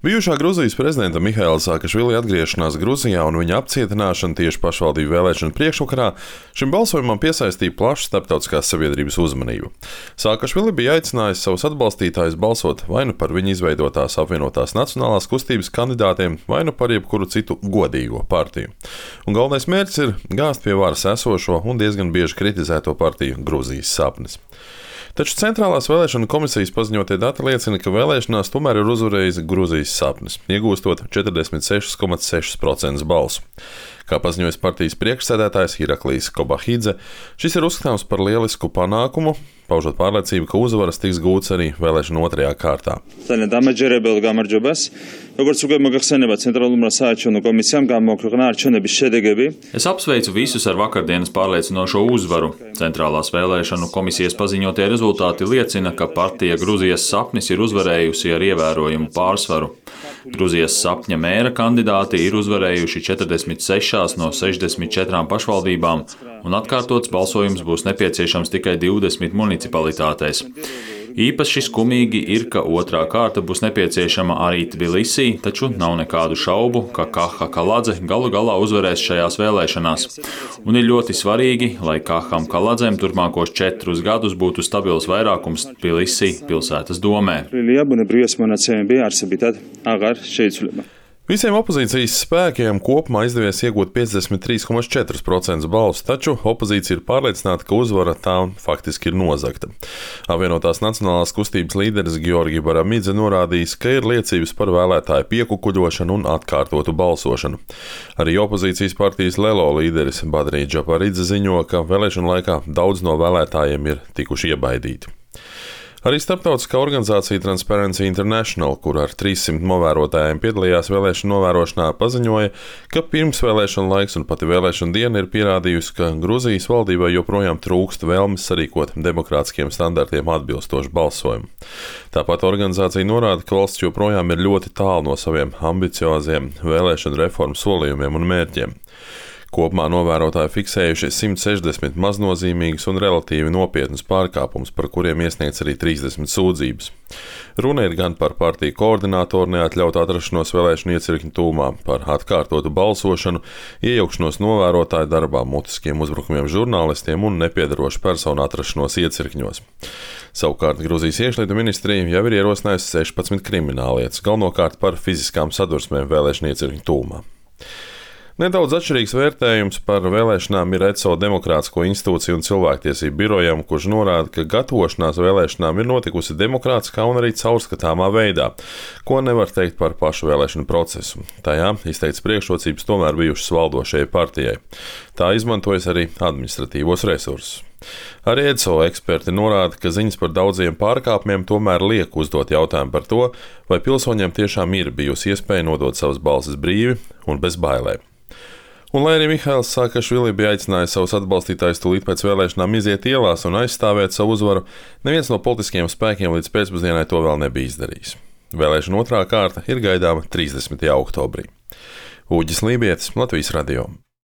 Bijušā Gruzijas prezidenta Mihaila Saakašvili atgriešanās Gruzijā un viņa apcietināšana tieši pašvaldību vēlēšanu priekšvakarā šim balsojumam piesaistīja plašu starptautiskās sabiedrības uzmanību. Saakašvili bija aicinājis savus atbalstītājus balsot vai nu par viņa izveidotās apvienotās nacionālās kustības kandidātiem, vai nu par jebkuru citu godīgo partiju. Un galvenais mērķis ir gāzt pie varas esošo un diezgan bieži kritizēto partiju Gruzijas sapnis. Taču Centrālās vēlēšanu komisijas paziņotie dati liecina, ka vēlēšanās tomēr ir uzvarējis Gruzijas sapnis, iegūstot 46,6% balsu. Kā paziņoja partijas priekšsēdētājs Iraklijs Kobahidze, šis ir uzskatāms par lielisku panākumu, paužot pārliecību, ka uzvaras tiks gūts arī vēlēšanu otrajā kārtā. Es apsveicu visus ar vakardienas pārliecinošo uzvaru. Centrālās vēlēšanu komisijas paziņotie rezultāti liecina, ka partija Gruzijas sapnis ir uzvarējusi ar ievērojumu pārsvaru. Gruzijas sapņa mēra kandidāti ir uzvarējuši 46 no 64 pašvaldībām, un atkārtots balsojums būs nepieciešams tikai 20 municipalitātēs. Īpaši skumīgi ir, ka otrā kārta būs nepieciešama arī Tbilisī, taču nav nekādu šaubu, ka Kaha Kaladze galu galā uzvarēs šajās vēlēšanās. Un ir ļoti svarīgi, lai Kaham Kaladzem turpmākos 4 gadus būtu stabils vairākums Tbilisī pilsētas domē. Visiem opozīcijas spēkiem kopumā izdevies iegūt 53,4% balsu, taču opozīcija ir pārliecināta, ka uzvara tā faktiski ir nozagta. Apvienotās nacionālās kustības līderis Georgi Baramidze norādījis, ka ir liecības par vēlētāju piekukuļošanu un atkārtotu balsošanu. Arī opozīcijas partijas Lelo līderis Badrī Džaparidze ziņo, ka vēlēšanu laikā daudz no vēlētājiem ir tikuši iebaidīti. Arī starptautiskā organizācija Transparency International, kur ar 300 novērotājiem piedalījās vēlēšanu novērošanā, paziņoja, ka pirmsvēlēšana laiks un pati vēlēšana diena ir pierādījusi, ka Gruzijas valdībai joprojām trūkst vēlmes sarīkot demokrātiskiem standartiem atbilstošu balsojumu. Tāpat organizācija norāda, ka valsts joprojām ir ļoti tālu no saviem ambicioziem vēlēšanu reformu solījumiem un mērķiem. Kopumā novērotāji fiksējuši 160 maznozīmīgus un relatīvi nopietnus pārkāpumus, par kuriem iesniegts arī 30 sūdzības. Runa ir gan par partiju koordinātoru neatļautu atrašanos vēlēšanu iecirkņu tūmā, par atkārtotu balsošanu, iejaukšanos novērotāju darbā, mutiskiem uzbrukumiem žurnālistiem un nepiedarošu personu atrašanos iecirkņos. Savukārt Gruzijas iekšlietu ministrija jau ir ierosinājusi 16 krimināllietas, galvenokārt par fiziskām sadursmēm vēlēšanu iecirkņu tūmā. Nedaudz atšķirīgs vērtējums par vēlēšanām ir ECO Demokrātisko institūciju un cilvēktiesību birojam, kurš norāda, ka gatavošanās vēlēšanām ir notikusi demokrātiskā un arī caurskatāmā veidā, ko nevar teikt par pašu vēlēšanu procesu. Tajā izteikts priekšrocības tomēr bijušas valdošajai partijai. Tā izmantojas arī administratīvos resursus. Arī ECO eksperti norāda, ka ziņas par daudziem pārkāpumiem tomēr liek uzdot jautājumu par to, vai pilsoņiem tiešām ir bijusi iespēja nodot savas balsis brīvi un bez bailēm. Un lai arī Mihails Saakašvili bija aicinājis savus atbalstītājus tūlīt pēc vēlēšanām iziet ielās un aizstāvēt savu uzvaru, neviens no politiskiem spēkiem līdz pēcpusdienai to vēl nebija izdarījis. Vēlēšana otrā kārta ir gaidāma 30. oktobrī. Uģis Lībietis, Latvijas radio.